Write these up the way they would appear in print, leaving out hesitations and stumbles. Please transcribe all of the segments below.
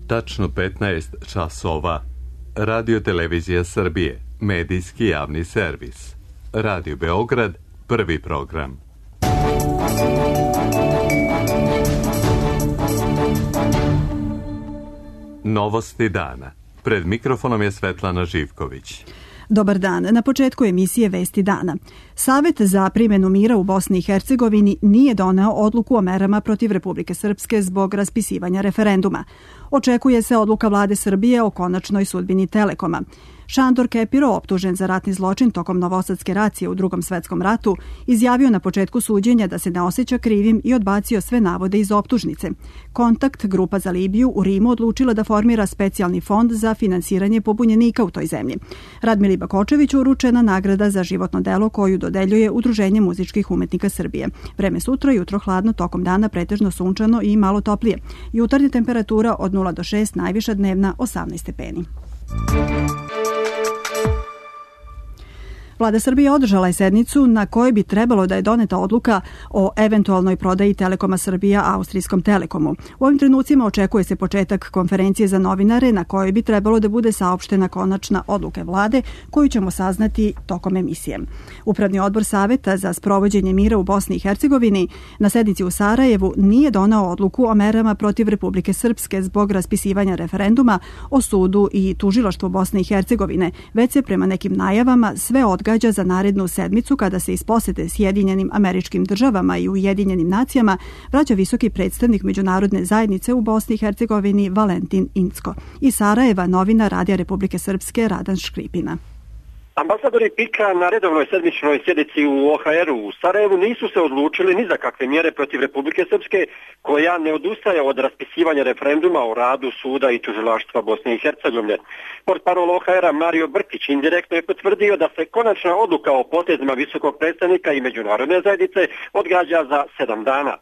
Tačno 15 časova. Radio Televizija Srbije, medijski javni servis. Radio Beograd, prvi program. Novosti dana. Pred mikrofonom je Svetlana Živković. Dobar dan. Na početku emisije Vesti dana. Savet za primjenu mira u Bosni i Hercegovini nije doneo odluku o merama protiv Republike Srpske zbog raspisivanja referenduma. Očekuje se odluka vlade Srbije o konačnoj sudbini Telekoma. Šandor Kepiro, optužen za ratni zločin tokom novosadske racije u Drugom svetskom ratu, izjavio na početku suđenja da se ne osjeća krivim i odbacio sve navode iz optužnice. Kontakt, grupa za Libiju, u Rimu odlučila da formira specijalni fond za finansiranje pobunjenika u toj zemlji. Radmili Bakočeviću uručena nagrada za životno delo koju dodeljuje Udruženje muzičkih umetnika Srbije. Vreme sutra, jutro hladno, tokom dana pretežno sunčano i malo toplije. Jutarnja temperatura od 0 do 6, najviša dnevna 18 stepeni. Vlada Srbije održala je sednicu na kojoj bi trebalo da je doneta odluka o eventualnoj prodaji Telekoma Srbija austrijskom Telekomu. U ovim trenucima očekuje se početak konferencije za novinare na kojoj bi trebalo da bude saopštena konačna odluka vlade koju ćemo saznati tokom emisije. Upravni odbor Saveta za sprovođenje mira u Bosni i Hercegovini na sednici u Sarajevu nije doneo odluku o merama protiv Republike Srpske zbog raspisivanja referenduma o sudu i tužilaštvu Bosne i Hercegovine, već se prema nekim najavama sve odgađa za narednu sedmicu kada se iz posete Sjedinjenim Američkim Državama i Ujedinjenim Nacijama vraća visoki predstavnik međunarodne zajednice u Bosni i Hercegovini Valentin Incko. Iz Sarajeva novinar Radija Republike Srpske Radan Škripina. Ambasadori PIK-a na redovnoj sedmičnoj sjednici u OHR-u u Sarajevu nisu se odlučili ni za kakve mjere protiv Republike Srpske, koja ne odustaje od raspisivanja referenduma o radu suda i tužilaštva Bosne i Hercegovine. Portparol OHR-a Mario Brkić indirektno je potvrdio da se konačna odluka o potezima visokog predstavnika i međunarodne zajednice odgađa za 7 dana.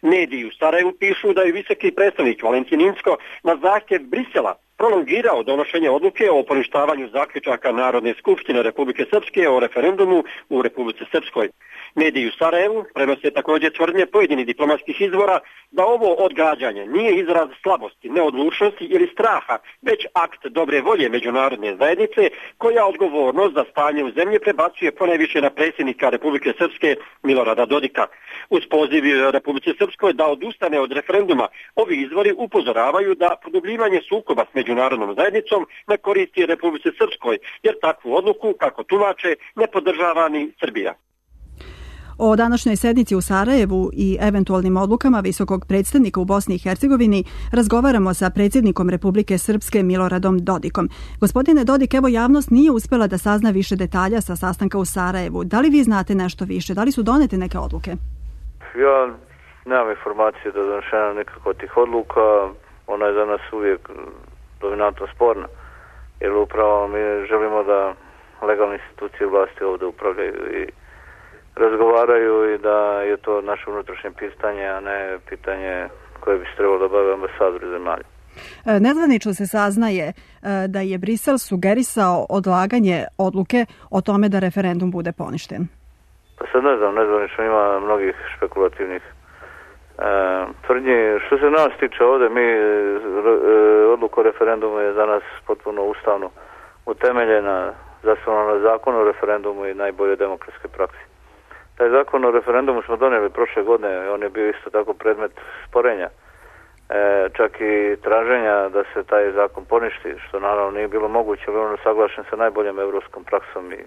Mediji u Sarajevu pišu da je visoki predstavnik Valentin Incko na zahtjev Brisela prolongirao donošenje odluke o poništavanju zaključaka Narodne skupštine Republike Srpske o referendumu u Republici Srpskoj. Mediji u Sarajevu prenose također tvrdnje pojedinih diplomatskih izvora da ovo odgađanje nije izraz slabosti, neodlučnosti ili straha, već akt dobre volje međunarodne zajednice koja odgovornost za stanje u zemlji prebacuje ponajviše na predsjednika Republike Srpske Milorada Dodika. Uz poziv Republike Srpskoj da odustane od referenduma, ovi izvori upozoravaju da produbljivanje sukoba s međunarodnom zajednicom ne koristi Republike Srpskoj, jer takvu odluku, kako tumače, ne podržava ni Srbija. O današnjoj sednici u Sarajevu i eventualnim odlukama visokog predstavnika u Bosni i Hercegovini razgovaramo sa predsjednikom Republike Srpske Miloradom Dodikom. Gospodine Dodik, evo javnost nije uspjela da sazna više detalja sa sastanka u Sarajevu. Da li vi znate nešto više? Da li su donete neke odluke? Ja nemam informacije da je donošena nekako tih odluka. Ona je za nas uvijek dominantno sporna, jer upravo mi želimo da legalne institucije vlasti ovdje upravljaju i razgovaraju i da je to naše unutrašnje pitanje, a ne pitanje koje bi se trebalo da bave ambasadori zemalja. Nezvanično se saznaje da je Brisel sugerisao odlaganje odluke o tome da referendum bude poništen. Pa sad ne znam, nezvanično ima mnogih špekulativnih tvrdnji. Što se nas tiče ovdje, mi odluku o referendumu je za nas potpuno ustavno utemeljena, zasnovana na zakonu o referendumu i najbolje demokratske praksi. Taj zakon o referendumu smo donijeli prošle godine, on je bio isto tako predmet sporenja, čak i traženja da se taj zakon poništi, što naravno nije bilo moguće, ali on je saglašen sa najboljom evropskom praksom i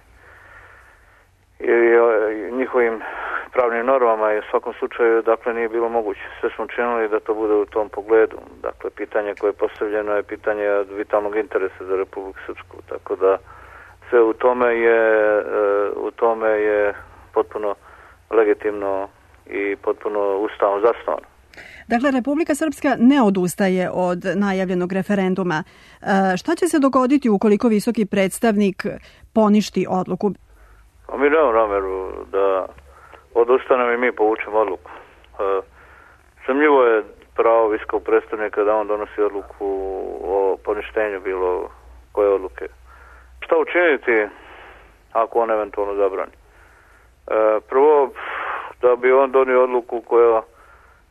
njihovim pravnim normama i u svakom slučaju dakle nije bilo moguće. Sve smo činili da to bude u tom pogledu. Dakle, pitanje koje je postavljeno je pitanje od vitalnog interesa za Republiku Srpsku, tako da sve u tome je potpuno legitimno i potpuno ustavno zasnovano. Dakle, Republika Srpska ne odustaje od najavljenog referenduma. Šta će se dogoditi ukoliko visoki predstavnik poništi odluku? Mi nemamo namjeru da odustanemo i mi povučemo odluku. Sumnjivo je pravo visokog predstavnika da on donosi odluku o poništenju bilo koje odluke. Šta učiniti ako on eventualno zabrani? Prvo, da bi on donio odluku koja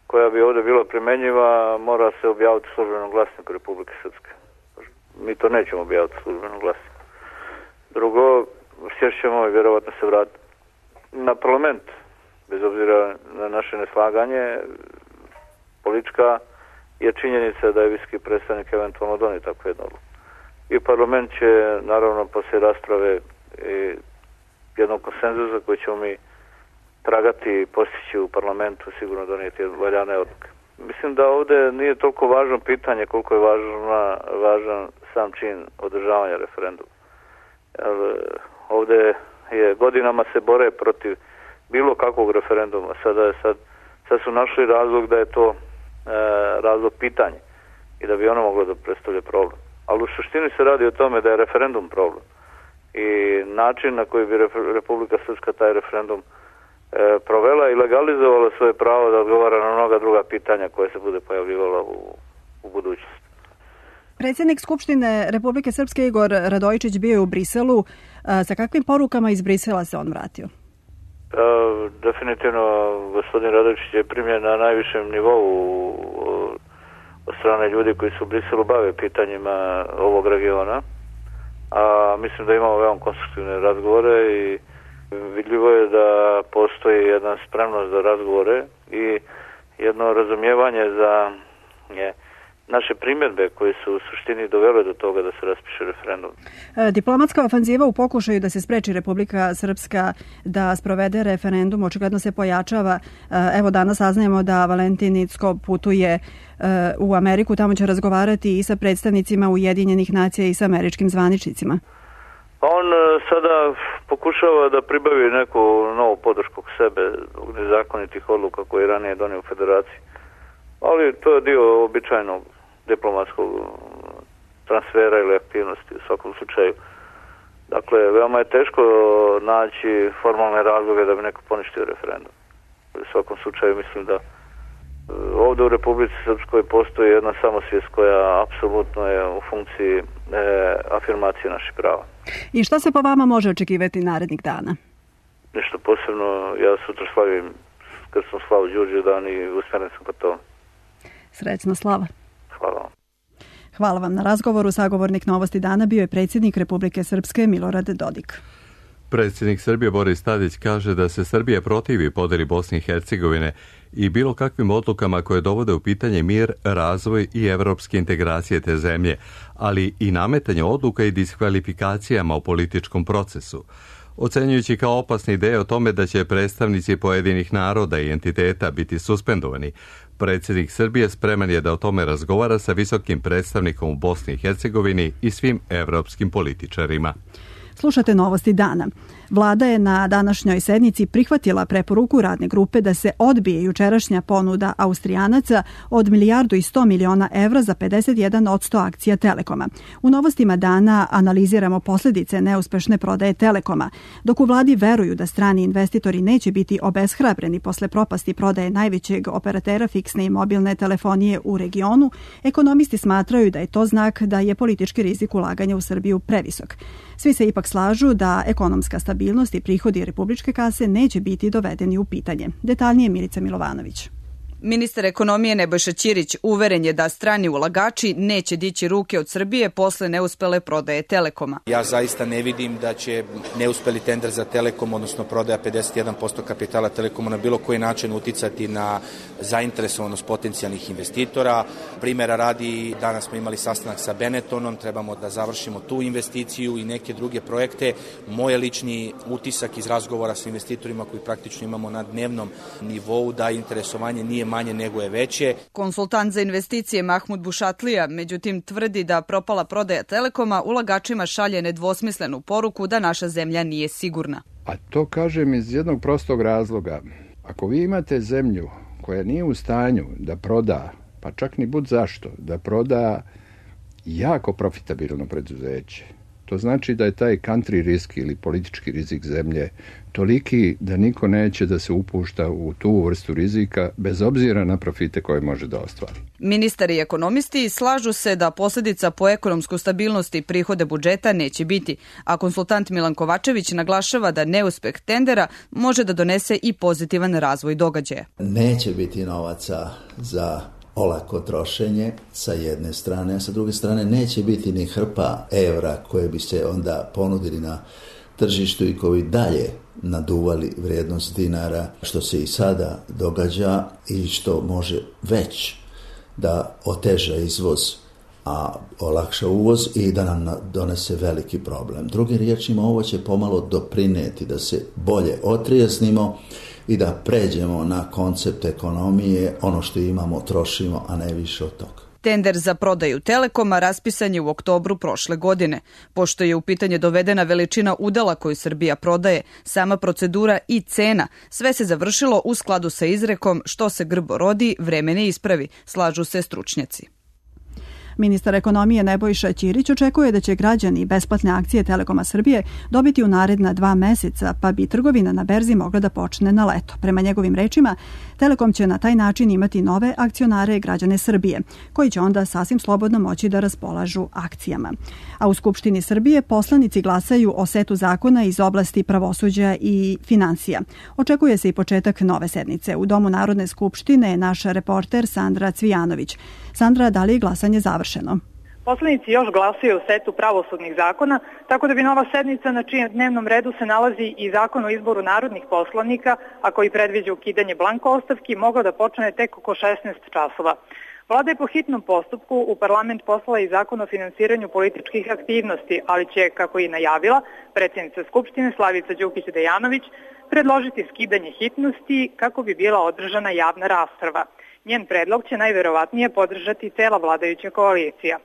koja bi ovdje bila primjenjiva mora se objaviti u službenom glasniku Republike Srpske. Mi to nećemo objaviti u službenom glasniku. Drugo, sjest ćemo i vjerovatno se vratiti na parlament, bez obzira na naše neslaganje. Politička je činjenica da je visoki predstavnik eventualno donio takvu jednu odluku. I parlament će, naravno, poslije rasprave i jednog konsenzusa koji ćemo mi tragati i postići u parlamentu, sigurno donijeti valjane odluke. Mislim da ovdje nije toliko važno pitanje koliko je važan sam čin održavanja referenduma. Ovdje je godinama se bore protiv bilo kakvog referenduma. Sad su našli razlog da je to razlog pitanja i da bi ono moglo da predstavlja problem. Ali u suštini se radi o tome da je referendum problem. I način na koji bi Republika Srpska taj referendum provela i legalizovala svoje pravo da odgovara na mnoga druga pitanja koje se bude pojavljivala u budućnosti. Predsjednik Skupštine Republike Srpske Igor Radojičić bio je u Briselu. Sa kakvim porukama iz Brisela se on vratio? Definitivno gospodin Radojičić je primljen na najvišem nivou od strane ljudi koji su u Briselu bave pitanjima ovog regiona. A mislim da imamo veoma konstruktivne razgovore i vidljivo je da postoji jedna spremnost za razgovore i jedno razumijevanje za naše primjedbe koje su u suštini dovele do toga da se raspiše referendum. Diplomatska ofanziva u pokušaju da se spreči Republika Srpska da sprovede referendum očigledno se pojačava. Evo danas saznajemo da Valentin Incko putuje u Ameriku, tamo će razgovarati i sa predstavnicima Ujedinjenih nacija i sa američkim zvaničnicima. On sada pokušava da pribavi neku novu podršku k sebe zbog nezakonitih odluka koje je ranije donio u Federaciji. Ali to je dio običajnog diplomatskog transfera ili aktivnosti u svakom slučaju. Dakle, veoma je teško naći formalne razloge da bi neko poništio referendum. U svakom slučaju mislim da ovdje u Republici Srpskoj postoji jedna samosvijest koja apsolutno je u funkciji afirmacije naših prava. I šta se po vama može očekivati narednih dana? Nešto posebno, ja sutra slavim krsnu slavu Đurđevdan i usmjeren sam ka tome. Srećna slava. Hvala vam. Hvala vam na razgovoru. Sagovornik Novosti dana bio je predsjednik Republike Srpske Milorad Dodik. Predsjednik Srbije Boris Tadić kaže da se Srbija protivi podjeli Bosne i Hercegovine i bilo kakvim odlukama koje dovode u pitanje mir, razvoj i evropske integracije te zemlje, ali i nametanje odluka i diskvalifikacijama u političkom procesu. Ocenjujući kao opasne ideje o tome da će predstavnici pojedinih naroda i entiteta biti suspendovani, predsjednik Srbije spreman je da o tome razgovara sa visokim predstavnikom u Bosni i Hercegovini i svim evropskim političarima. Slušate Novosti dana. Vlada je na današnjoj sednici prihvatila preporuku radne grupe da se odbije jučerašnja ponuda Austrijanaca od 1,1 milijarda evra za 51% akcija Telekoma. U Novostima dana analiziramo posljedice neuspešne prodaje Telekoma. Dok u vladi veruju da strani investitori neće biti obeshrabreni posle propasti prodaje najvećeg operatera fiksne i mobilne telefonije u regionu, ekonomisti smatraju da je to znak da je politički rizik ulaganja u Srbiju previsok. Svi se ipak slažu da ekonomska stabilnost i prihodi republičke kase neće biti dovedeni u pitanje. Detaljnije Milica Milovanović. Ministar ekonomije Nebojša Ćirić uveren je da strani ulagači neće dići ruke od Srbije posle neuspele prodaje Telekoma. Ja zaista ne vidim da će neuspeli tender za Telekom, odnosno prodaja 51% kapitala Telekoma na bilo koji način uticati na zainteresovanost potencijalnih investitora. Primjera radi, danas smo imali sastanak sa Benettonom, trebamo da završimo tu investiciju i neke druge projekte. Moj lični utisak iz razgovora sa investitorima koji praktično imamo na dnevnom nivou da interesovanje nije manje nego je veće. Konsultant za investicije Mahmud Bušatlija, međutim, tvrdi da propala prodaja Telekoma ulagačima šalje nedvosmislenu poruku da naša zemlja nije sigurna. A to kažem iz jednog prostog razloga. Ako vi imate zemlju koja nije u stanju da proda, pa čak ni bud zašto, da proda jako profitabilno preduzeće, To znači da je taj country risk ili politički rizik zemlje toliki da niko neće da se upušta u tu vrstu rizika bez obzira na profite koje može da ostvari. Ministar i ekonomisti slažu se da posljedica po ekonomsku stabilnost i prihode budžeta neće biti, a konsultant Milan Kovačević naglašava da neuspeh tendera može da donese i pozitivan razvoj događaja. Neće biti novaca za olako trošenje sa jedne strane, a sa druge strane neće biti ni hrpa evra koje bi se onda ponudili na tržištu i koji dalje naduvali vrijednost dinara, što se i sada događa i što može već da oteža izvoz, a olakša uvoz i da nam donese veliki problem. Drugim riječima, ovo će pomalo doprineti da se bolje otrijeznimo i da pređemo na koncept ekonomije, ono što imamo trošimo, a ne više od toga. Tender za prodaju Telekoma raspisan je u oktobru prošle godine. Pošto je u pitanje dovedena veličina udela koju Srbija prodaje, sama procedura i cena, sve se završilo u skladu sa izrekom što se grbo rodi, vreme ne ispravi, slažu se stručnjaci. Ministar ekonomije Nebojša Ćirić očekuje da će građani besplatne akcije Telekoma Srbije dobiti u naredna 2 meseca, pa bi trgovina na berzi mogla da počne na leto. Prema njegovim rečima, Telekom će na taj način imati nove akcionare građane Srbije, koji će onda sasvim slobodno moći da raspolažu akcijama. A u Skupštini Srbije poslanici glasaju o setu zakona iz oblasti pravosuđa i finansija. Očekuje se i početak nove sednice. U Domu Narodne skupštine je naš reporter Sandra Cvijanović. Sandra, da li je glasanje završeno? Poslanici još glasaju o setu pravosudnih zakona, tako da bi nova sednica na čijem dnevnom redu se nalazi i zakon o izboru narodnih poslanika, a koji predviđa ukidanje blanko ostavki, mogao da počne tek oko 16 časova. Vlada je po hitnom postupku u parlament poslala i zakon o finansiranju političkih aktivnosti, ali će, kako i najavila, predsjednica Skupštine Slavica Đukić-Dejanović predložiti skidanje hitnosti kako bi bila održana javna rasprava. Njen predlog će najverovatnije podržati cela vladajuća koalicija.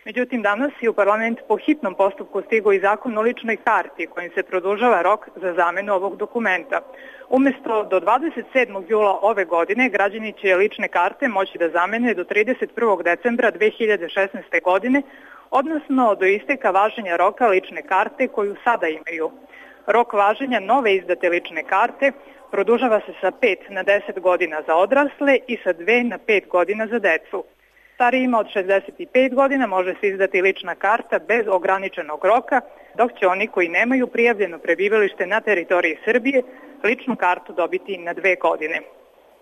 Međutim, danas je u parlament po hitnom postupku stigao i zakon o ličnoj karti kojim se produžava rok za zamenu ovog dokumenta. Umesto do 27. jula ove godine građani će lične karte moći da zamene do 31. decembra 2016. godine, odnosno do isteka važenja roka lične karte koju sada imaju. Rok važenja nove izdate lične karte produžava se sa 5 na 10 godina za odrasle i sa 2 na 5 godina za decu. Starijima od 65 godina može se izdati lična karta bez ograničenog roka, dok će oni koji nemaju prijavljeno prebivalište na teritoriji Srbije ličnu kartu dobiti na 2 godine.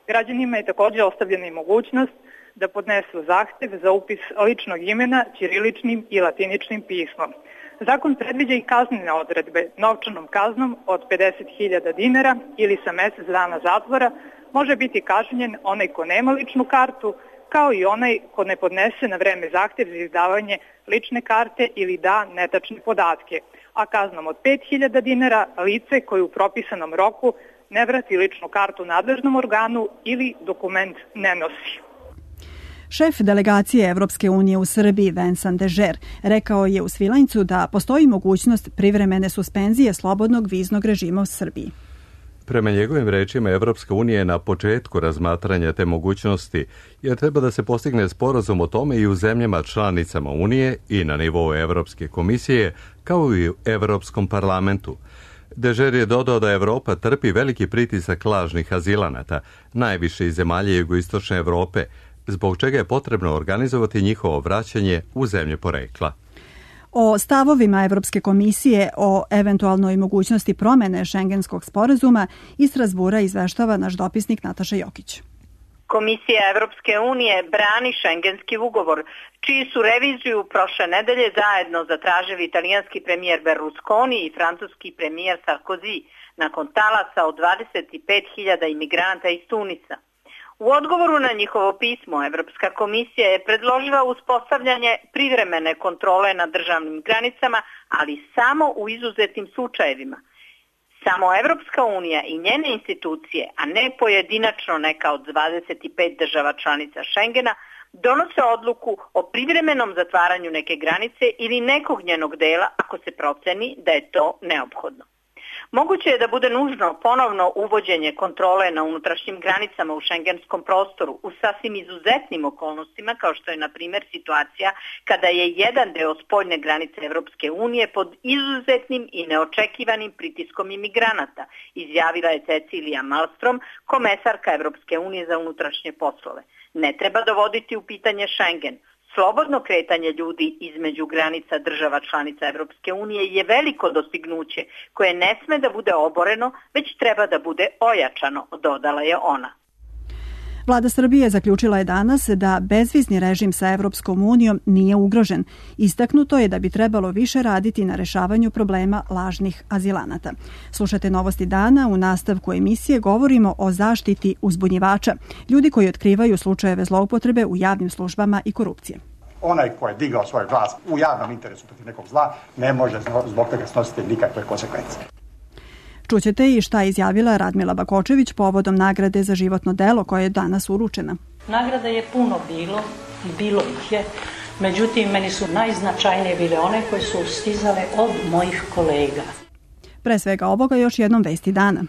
Građanima je također ostavljena i mogućnost da podnesu zahtev za upis ličnog imena ćiriličnim i latiničnim pismom. Zakon predviđa i kaznene odredbe. Novčanom kaznom od 50.000 dinara ili sa mjesec dana zatvora može biti kažnjen onaj ko nema ličnu kartu, kao i onaj ko ne podnese na vreme zahtjev za izdavanje lične karte ili da netačne podatke, a kaznom od 5.000 dinara lice koje u propisanom roku ne vrati ličnu kartu nadležnom organu ili dokument ne nosi. Šef delegacije Evropske unije u Srbiji, Vincent Dežer, rekao je u Svilajncu da postoji mogućnost privremene suspenzije slobodnog viznog režima u Srbiji. Prema njegovim rečima, Evropska unija je na početku razmatranja te mogućnosti, jer treba da se postigne sporazum o tome i u zemljama članicama Unije i na nivou Evropske komisije, kao i u Evropskom parlamentu. Dežer je dodao da Evropa trpi veliki pritisak lažnih azilanata, najviše iz zemalja jugoistočne Evrope, zbog čega je potrebno organizovati njihovo vraćanje u zemlje porekla. O stavovima Evropske komisije o eventualnoj mogućnosti promene šengenskog sporazuma iz Strazbura izveštava naš dopisnik Nataša Jokić. Komisija Evropske unije brani šengenski ugovor, čiji su reviziju prošle nedelje zajedno zatražili italijanski premijer Berlusconi i francuski premijer Sarkozy nakon talasa od 25.000 imigranata iz Tunisa. U odgovoru na njihovo pismo, Evropska komisija je predložila uspostavljanje privremene kontrole na državnim granicama, ali samo u izuzetnim slučajevima. Samo Evropska unija i njene institucije, a ne pojedinačno neka od 25 država članica Schengena, donose odluku o privremenom zatvaranju neke granice ili nekog njenog dela ako se proceni da je to neophodno. Moguće je da bude nužno ponovno uvođenje kontrole na unutrašnjim granicama u šengenskom prostoru u sasvim izuzetnim okolnostima, kao što je na primjer situacija kada je jedan deo spoljne granice Evropske unije pod izuzetnim i neočekivanim pritiskom imigranata, izjavila je Cecilija Malmström, komesarka Evropske unije za unutrašnje poslove. Ne treba dovoditi u pitanje Schengen. Slobodno kretanje ljudi između granica država članica Evropske unije je veliko dostignuće koje ne sme da bude oboreno, već treba da bude ojačano, dodala je ona. Vlada Srbije zaključila je danas da bezvizni režim sa Evropskom unijom nije ugrožen. Istaknuto je da bi trebalo više raditi na rešavanju problema lažnih azilanata. Slušate Novosti dana, u nastavku emisije govorimo o zaštiti uzbunjivača, ljudi koji otkrivaju slučajeve zloupotrebe u javnim službama i korupcije. Onaj ko je digao svoj glas u javnom interesu protiv nekog zla ne može zbog toga snositi nikakve konsekvence. Čućete i šta je izjavila Radmila Bakočević povodom nagrade za životno delo koja je danas uručena. Nagrada je puno bilo i bilo ih je, međutim meni su najznačajnije bile one koje su stizale od mojih kolega. Pre svega ovoga još jednom vesti dana.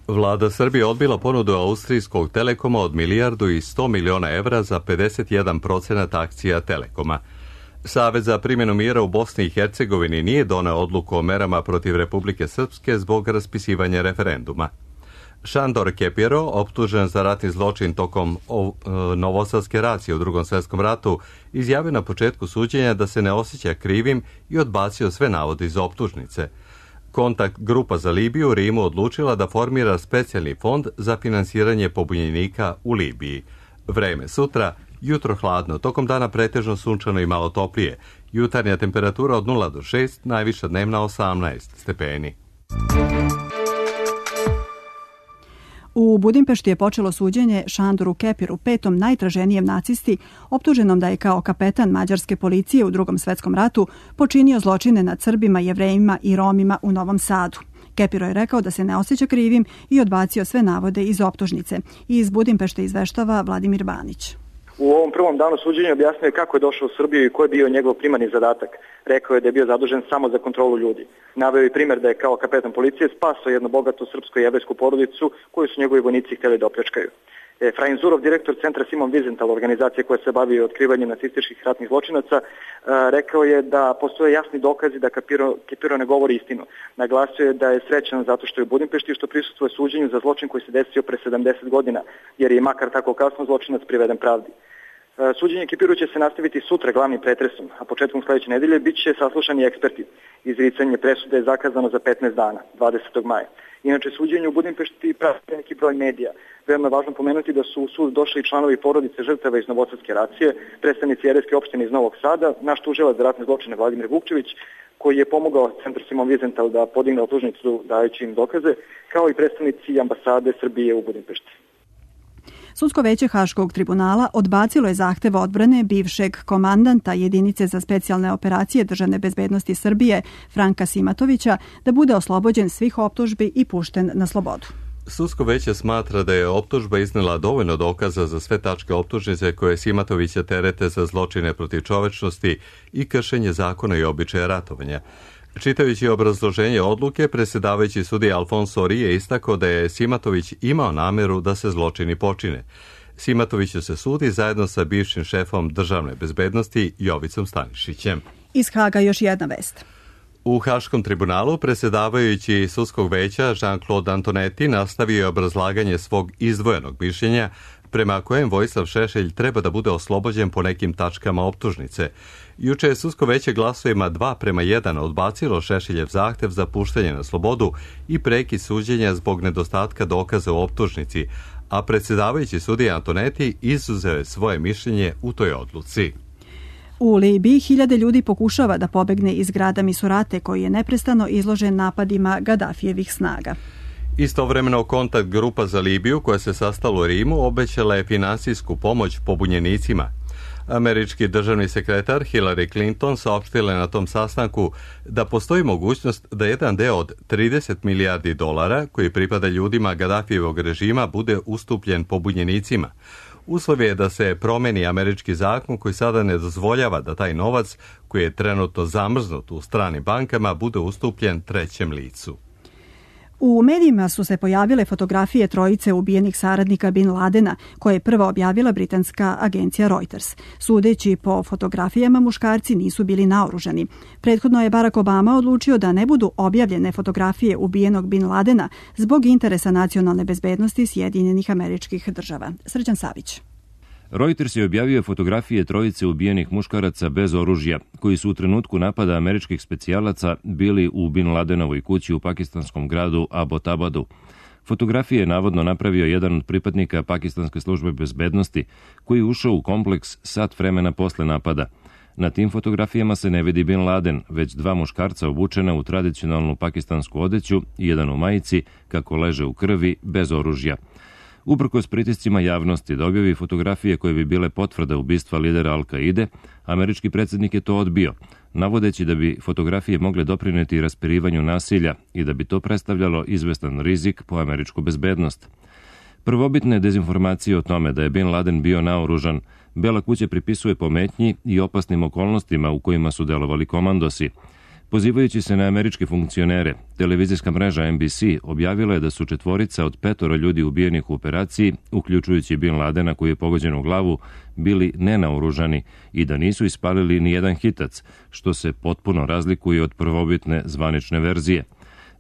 Vlada Srbije odbila ponudu austrijskog Telekoma od 1,1 milijarda evra za 51% akcija Telekoma. Savez za primjenu mjera u Bosni i Hercegovini nije doneo odluku o merama protiv Republike Srpske zbog raspisivanja referenduma. Šandor Kepiro, optužen za ratni zločin tokom novosadske racije u Drugom svjetskom ratu, izjavio na početku suđenja da se ne osjeća krivim i odbacio sve navode iz optužnice. Kontakt grupa za Libiju u Rimu odlučila da formira specijalni fond za finansiranje pobunjenika u Libiji. Vreme sutra, jutro hladno, tokom dana pretežno sunčano i malo toplije. Jutarnja temperatura od 0 do 6, najviša dnevna 18 stepeni. U Budimpešti je počelo suđenje Šandoru Kepiru, petom najtraženijem nacisti, optuženom da je kao kapetan mađarske policije u Drugom svjetskom ratu počinio zločine nad Srbima, Jevrejima i Romima u Novom Sadu. Kepiro je rekao da se ne osjeća krivim i odbacio sve navode iz optužnice. Iz Budimpešte izveštava Vladimir Banić. U ovom prvom danu suđenja objasnio je kako je došao u Srbiju i koji je bio njegov primarni zadatak. Rekao je da je bio zadužen samo za kontrolu ljudi. Naveo je primjer da je kao kapetan policije spasao jednu bogatu srpsko-jevrejsku porodicu koju su njegovi vojnici htjeli da opljačkaju. Frajin Zurov, direktor centra Simon Wiesenthal, organizacije koja se bavi otkrivanjem nacističkih ratnih zločinaca, rekao je da postoje jasni dokazi da Kepiro ne govori istinu. Naglasio je da je srećan zato što je u Budimpešti i što prisustvuje suđenju za zločin koji se desio pre 70 godina, jer je makar tako kasno zločinac priveden pravdi. Suđenje Kepiru će se nastaviti sutra glavnim pretresom, a početkom sljedeće nedelje bit će saslušani eksperti. Izricanje presude je zakazano za 15 dana, 20. maja. Inače, suđenje u Budimpešti prati neki broj medija. Veoma je važno pomenuti da su u sud došli članovi porodice žrtava iz novosadske racije, predstavnici jevrejske opštine iz Novog Sada, naš tužilac za ratne zločine Vladimir Vukčević, koji je pomogao centru Simon Wiesenthal da podigne optužnicu dajući im dokaze, kao i predstavnici ambasade Srbije u Budimpešti. Sudsko veće Haškog tribunala odbacilo je zahtev odbrane bivšeg komandanta jedinice za specijalne operacije državne bezbednosti Srbije Franka Simatovića da bude oslobođen svih optužbi i pušten na slobodu. Sudsko veće smatra da je optužba iznela dovoljno dokaza za sve tačke optužnice koje Simatovića terete za zločine protiv čovečnosti i kršenje zakona i običaja ratovanja. Čitajući obrazloženje odluke, predsjedavajući sudija Alfonso Ori je istakao da je Simatović imao nameru da se zločini počine. Simatoviću se sudi zajedno sa bivšim šefom državne bezbednosti Jovicom Stanišićem. Iz Haga još jedna vest. U Haškom tribunalu predsjedavajući sudskog veća Jean-Claude Antonetti nastavio je obrazlaganje svog izdvojenog mišljenja prema kojem Vojislav Šešelj treba da bude oslobođen po nekim tačkama optužnice. Juče je sudsko veće glasovima 2:1 odbacilo Šešeljev zahtev za puštanje na slobodu i prekid suđenja zbog nedostatka dokaza u optužnici, a predsjedavajući sudija Antonetti izuzeo je svoje mišljenje u toj odluci. U Libiji 1000 ljudi pokušava da pobegne iz grada Misurate koji je neprestano izložen napadima Gadafijevih snaga. Istovremeno kontakt grupa za Libiju koja se sastala u Rimu obećala je finansijsku pomoć pobunjenicima. Američki državni sekretar Hillary Clinton saopštila je na tom sastanku da postoji mogućnost da jedan deo od 30 milijardi dolara koji pripada ljudima Gadafijevog režima bude ustupljen pobunjenicima. Uslov je da se promeni američki zakon koji sada ne dozvoljava da taj novac, koji je trenutno zamrznut u stranim bankama, bude ustupljen trećem licu. U medijima su se pojavile fotografije trojice ubijenih saradnika Bin Ladena, koje je prva objavila britanska agencija Reuters. Sudeći po fotografijama, muškarci nisu bili naoružani. Prethodno je Barack Obama odlučio da ne budu objavljene fotografije ubijenog Bin Ladena zbog interesa nacionalne bezbednosti Sjedinjenih Američkih Država. Srđan Savić. Reuters je objavio fotografije trojice ubijenih muškaraca bez oružja, koji su u trenutku napada američkih specijalaca bili u Bin Ladenovoj kući u pakistanskom gradu Abbottabadu. Fotografije je navodno napravio jedan od pripadnika pakistanske službe bezbednosti, koji je ušao u kompleks sat vremena posle napada. Na tim fotografijama se ne vidi Bin Laden, već dva muškarca obučena u tradicionalnu pakistansku odeću i jedan u majici, kako leže u krvi, bez oružja. Uprkos pritiscima javnosti da objavi fotografije koje bi bile potvrda ubistva lidera Al-Kaide, američki predsjednik je to odbio, navodeći da bi fotografije mogle doprineti raspirivanju nasilja i da bi to predstavljalo izvestan rizik po američku bezbednost. Prvobitne dezinformacije o tome da je Bin Laden bio naoružan, Bela kuća pripisuje pometnji i opasnim okolnostima u kojima su delovali komandosi. Pozivajući se na američke funkcionere, televizijska mreža NBC objavila je da su 4 od 5 ljudi ubijenih u operaciji, uključujući Bin Ladena koji je pogođen u glavu, bili nenaoružani i da nisu ispalili ni jedan hitac, što se potpuno razlikuje od prvobitne zvanične verzije.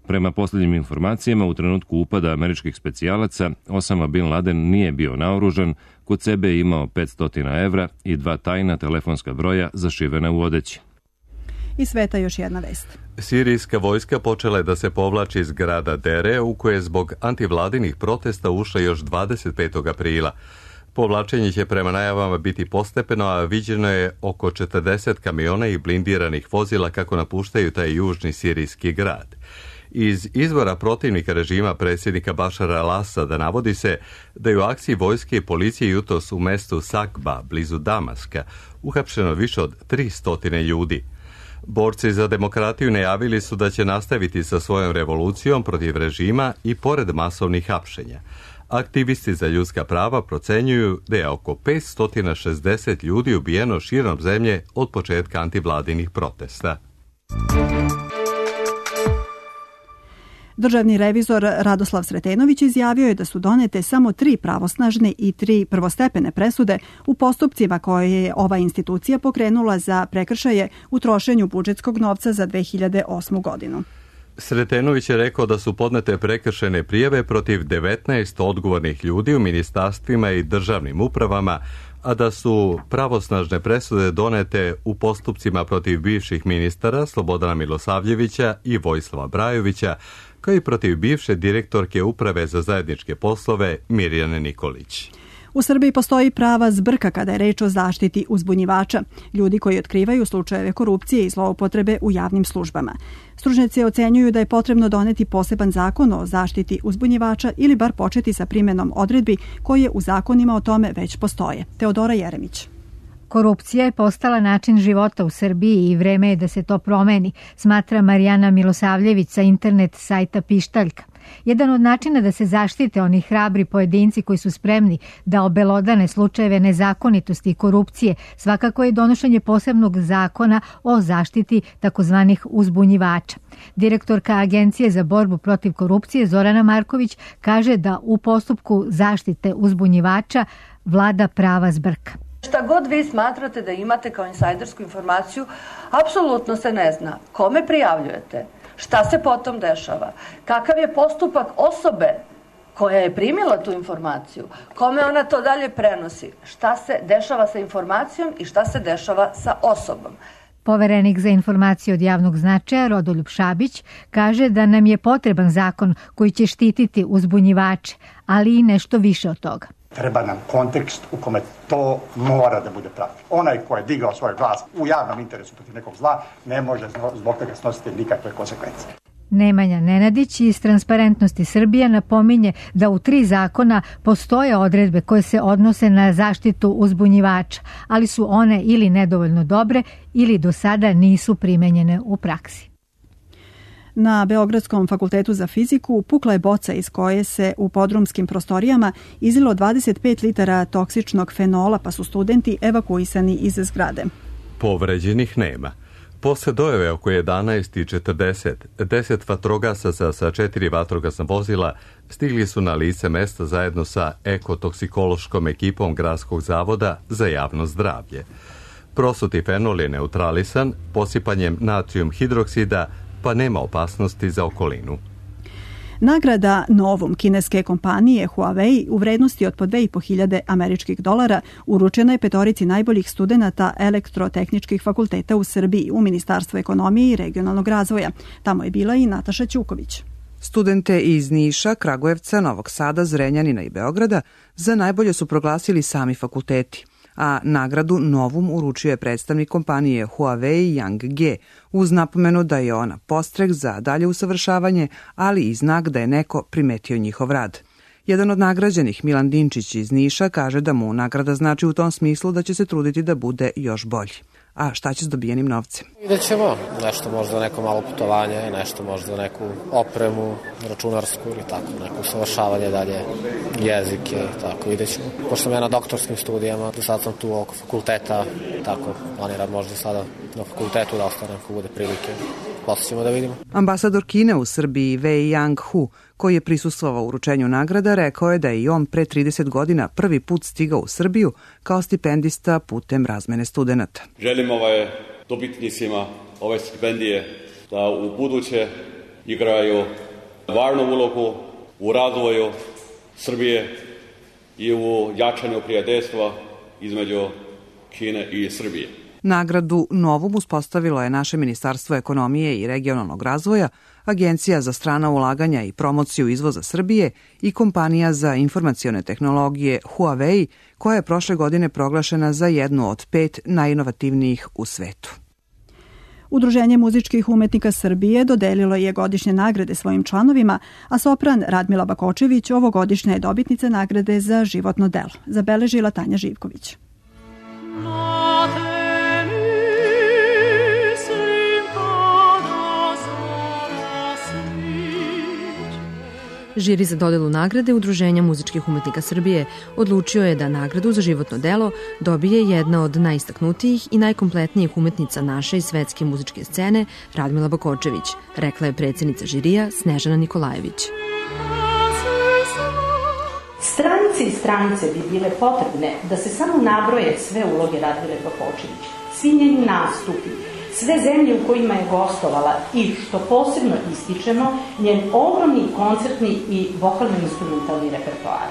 Prema posljednjim informacijama, u trenutku upada američkih specijalaca, Osama Bin Laden nije bio naoružan, kod sebe je imao 500 evra i 2 tajna telefonska broja zašivena u odeći. Iz sveta još jedna vest. Sirijska vojska počela je da se povlači iz grada Dere, u koje je zbog antivladinih protesta ušla još 25. aprila. Povlačenje će prema najavama biti postepeno, a viđeno je oko 40 kamiona i blindiranih vozila kako napuštaju taj južni sirijski grad. Iz izvora protivnika režima predsjednika Bašara al-Asada navodi se da je u akciji vojske i policije jutros u mestu Sakba, blizu Damaska, uhapšeno više od 300 ljudi. Borci za demokratiju najavili su da će nastaviti sa svojom revolucijom protiv režima i pored masovnih hapšenja. Aktivisti za ljudska prava procenjuju da je oko 560 ljudi ubijeno širom zemlje od početka antivladinih protesta. Državni revizor Radoslav Sretenović izjavio je da su donete samo 3 pravosnažne i 3 prvostepene presude u postupcima koje je ova institucija pokrenula za prekršaje u trošenju budžetskog novca za 2008. godinu. Sretenović je rekao da su podnete prekršajne prijave protiv 19 odgovornih ljudi u ministarstvima i državnim upravama, a da su pravosnažne presude donete u postupcima protiv bivših ministara Slobodana Milosavljevića i Vojislava Brajovića, kao i protiv bivše direktorke Uprave za zajedničke poslove Mirjane Nikolić. U Srbiji postoji prava zbrka kada je reč o zaštiti uzbunjivača, ljudi koji otkrivaju slučajeve korupcije i zloupotrebe u javnim službama. Stručnjaci ocenjuju da je potrebno doneti poseban zakon o zaštiti uzbunjivača ili bar početi sa primjenom odredbi koje u zakonima o tome već postoje. Teodora Jeremić. Korupcija je postala način života u Srbiji i vreme je da se to promeni, smatra Marijana Milosavljević sa internet sajta Pištaljka. Jedan od načina da se zaštite oni hrabri pojedinci koji su spremni da obelodane slučajeve nezakonitosti i korupcije svakako je donošenje posebnog zakona o zaštiti takozvanih uzbunjivača. Direktorka Agencije za borbu protiv korupcije Zorana Marković kaže da u postupku zaštite uzbunjivača vlada prava zbrka. Šta god vi smatrate da imate kao insajdersku informaciju, apsolutno se ne zna kome prijavljujete, šta se potom dešava, kakav je postupak osobe koja je primila tu informaciju, kome ona to dalje prenosi, šta se dešava sa informacijom i šta se dešava sa osobom. Poverenik za informacije od javnog značaja Rodoljub Šabić kaže da nam je potreban zakon koji će štititi uzbunjivače, ali i nešto više od toga. Treba nam kontekst u kome to mora da bude pravi. Onaj ko je digao svoj glas u javnom interesu protiv nekog zla ne može zbog toga snositi nikakve konsekvence. Nemanja Nenadić iz Transparentnosti Srbije napominje da u 3 zakona postoje odredbe koje se odnose na zaštitu uzbunjivača, ali su one ili nedovoljno dobre ili do sada nisu primenjene u praksi. Na Beogradskom fakultetu za fiziku pukla je boca iz koje se u podrumskim prostorijama izlilo 25 litara toksičnog fenola, pa su studenti evakuisani iz zgrade. Povređenih nema. Posle dojave oko 11:40, 10 vatrogasaca sa 4 vatrogasna vozila stigli su na lice mesta zajedno sa ekotoksikološkom ekipom Gradskog zavoda za javno zdravlje. Prosuti fenol je neutralisan posipanjem natrijum hidroksida, pa nema opasnosti za okolinu. Nagrada Novum kineske kompanije Huawei u vrednosti od po 2.500 američkih dolara uručena je 5 najboljih studenata elektrotehničkih fakulteta u Srbiji u Ministarstvu ekonomije i regionalnog razvoja. Tamo je bila i Nataša Ćuković. Studente iz Niša, Kragujevca, Novog Sada, Zrenjanina i Beograda za najbolje su proglasili sami fakulteti, a nagradu Novum uručio je predstavnik kompanije Huawei Yang Ge, uz napomenu da je ona podstrek za dalje usavršavanje, ali i znak da je neko primetio njihov rad. Jedan od nagrađenih, Milan Dinčić iz Niša, kaže da mu nagrada znači u tom smislu da će se truditi da bude još bolji. A šta će s dobijenim novcem? Vidjet ćemo, nešto možda neko malo putovanje, nešto možda neku opremu, računarsku ili tako, neko usavršavanje dalje, jezike i tako, vidjet ćemo. Pošto sam ja na doktorskim studijama, do sad sam tu oko fakulteta, tako, planiram možda sada na fakultetu da ostanem ako bude prilike. Posle ćemo da vidimo. Ambasador Kine u Srbiji Wei Yang-hu, koji je prisustvovao uručenju nagrada, rekao je da je i on pre 30 godina prvi put stigao u Srbiju kao stipendista putem razmene studenta. Želim dobitnicima ove stipendije da u buduće igraju važnu ulogu u razvoju Srbije i u jačanju prijateljstva između Kine i Srbije. Nagradu Novum uspostavilo je naše Ministarstvo ekonomije i regionalnog razvoja, Agencija za strana ulaganja i promociju izvoza Srbije i kompanija za informacione tehnologije Huawei, koja je prošle godine proglašena za jednu od 5 najinovativnijih u svetu. Udruženje muzičkih umetnika Srbije dodelilo je godišnje nagrade svojim članovima, a sopran Radmila Bakočević ovogodišnja je dobitnica nagrade za životno delo, zabeležila Tanja Živković. Žiri za dodelu nagrade Udruženja muzičkih umetnika Srbije odlučio je da nagradu za životno delo dobije jedna od najistaknutijih i najkompletnijih umetnica naše i svetske muzičke scene, Radmila Bakočević, rekla je predsjednica žirija Snežana Nikolajević. Stranice i stranice bi bile potrebne da se samo nabroje sve uloge Radmile Bakočević, svi njeni nastupi, sve zemlje u kojima je gostovala i, što posebno ističemo, njen ogromni koncertni i vokalno-instrumentalni repertoar.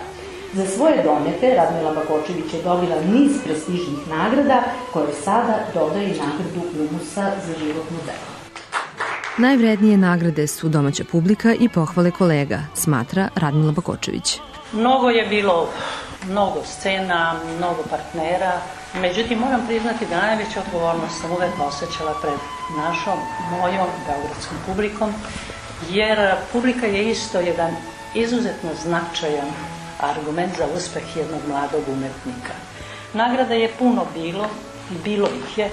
Za svoje domete Radmila Bakočević je dobila niz prestižnih nagrada koje sada dodaje nagradu UMUS-a za životno delo. Najvrednije nagrade su domaća publika i pohvale kolega, smatra Radmila Bakočević. Mnogo je bilo, mnogo scena, mnogo partnera, međutim moram priznati da najveća odgovornost sam uvek osjećala pred našom, mojom beogradskom publikom, jer publika je isto jedan izuzetno značajan argument za uspeh jednog mladog umetnika. Nagrada je puno bilo ih je,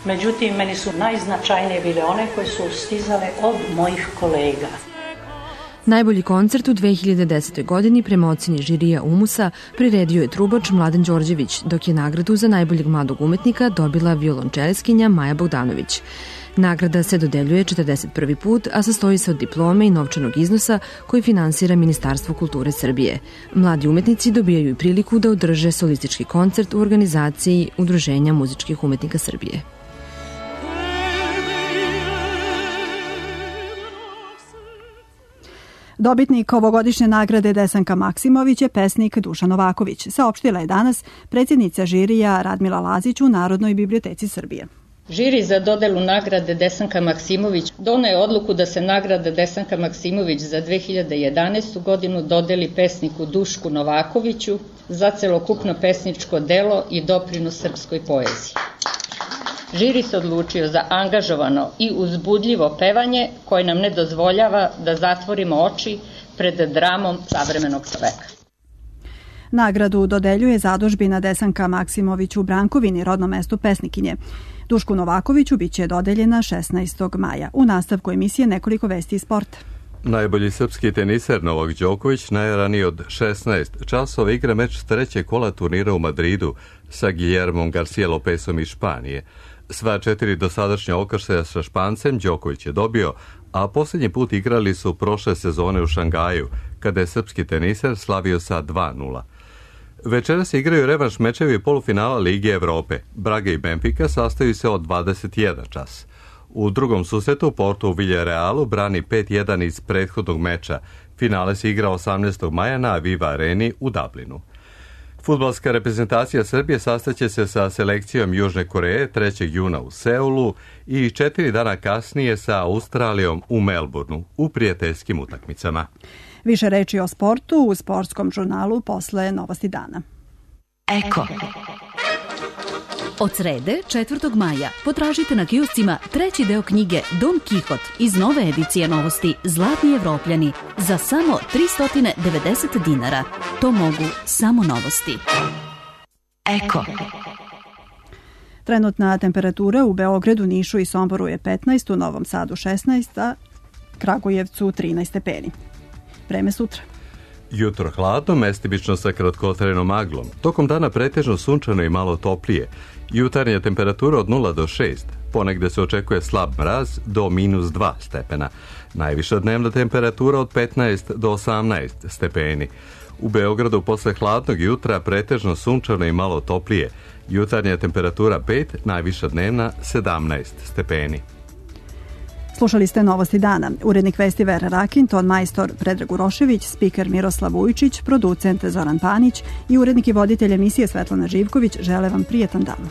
međutim meni su najznačajnije bile one koje su stizale od mojih kolega. Najbolji koncert u 2010. godini prema ocjeni žirija UMUS-a priredio je trubač Mladen Đorđević, dok je nagradu za najboljeg mladog umetnika dobila violončeleskinja Maja Bogdanović. Nagrada se dodeljuje 41. put, a sastoji se od diplome i novčanog iznosa koji finansira Ministarstvo kulture Srbije. Mladi umetnici dobijaju i priliku da održe solistički koncert u organizaciji Udruženja muzičkih umetnika Srbije. Dobitnik ovogodišnje nagrade Desanka Maksimović je pesnik Dušan Novaković, saopštila je danas predsjednica žirija Radmila Lazić u Narodnoj biblioteci Srbije. Žiri za dodelu nagrade Desanka Maksimović doneo je odluku da se nagrada Desanka Maksimović za 2011. godinu dodeli pesniku Dušku Novakoviću za celokupno pesničko delo i doprinos srpskoj poeziji. Žiri se odlučio za angažovano i uzbudljivo pevanje koje nam ne dozvoljava da zatvorimo oči pred dramom savremenog čoveka. Nagradu dodeljuje zadužbina Desanka Maksimović u Brankovini, rodnom mestu pesnikinje. Dušku Novakoviću biće dodeljena 16. maja. U nastavku emisije nekoliko vesti iz sporta. Najbolji srpski teniser Novak Đoković najraniji od 16 časova igra meč trećeg kola turnira u Madridu sa Guillermom Garcia Lopezom iz Španije. Sva 4 dosadašnja okršaja sa Špancem Đoković je dobio, a posljednji put igrali su prošle sezone u Šangaju, kada je srpski teniser slavio sa 2:0. Večeras se igraju revanš mečevi polufinala Lige Evrope. Braga i Benfica sastaju se od 21 čas. U drugom susretu Porto u Villarealu brani 5:1 iz prethodnog meča. Finale se igra 18. maja na Aviva Areni u Dublinu. Fudbalska reprezentacija Srbije sastaće se sa selekcijom Južne Koreje 3. juna u Seulu i 4 dana kasnije sa Australijom u Melbourneu u prijateljskim utakmicama. Više reči o sportu u sportskom žurnalu posle Novosti dana. Eko. Od srede, 4. maja, potražite na kioscima treći deo knjige Don Kihot iz nove edicije novosti Zlatni Evropljani za samo 390 dinara. To mogu samo novosti. Eko. Trenutna temperatura u Beogradu, Nišu i Somboru je 15, u Novom Sadu 16, a Kragujevcu 13 stepeni. Vreme sutra. Jutro hladno, mestimično sa kratkotrajnom maglom. Tokom dana pretežno sunčano i malo toplije. Jutarnja temperatura od 0 do 6. Ponegde se očekuje slab mraz do -2 stepena. Najviša dnevna temperatura od 15 do 18 stepeni. U Beogradu posle hladnog jutra pretežno sunčano i malo toplije. Jutarnja temperatura 5, najviša dnevna 17 stepeni. Slušali ste Novosti dana. Urednik vesti Vera Rakin, ton majstor Predrag Urošević, spiker Miroslav Vujčić, producent Zoran Panić i urednik i voditelj emisije Svetlana Živković žele vam prijetan dan.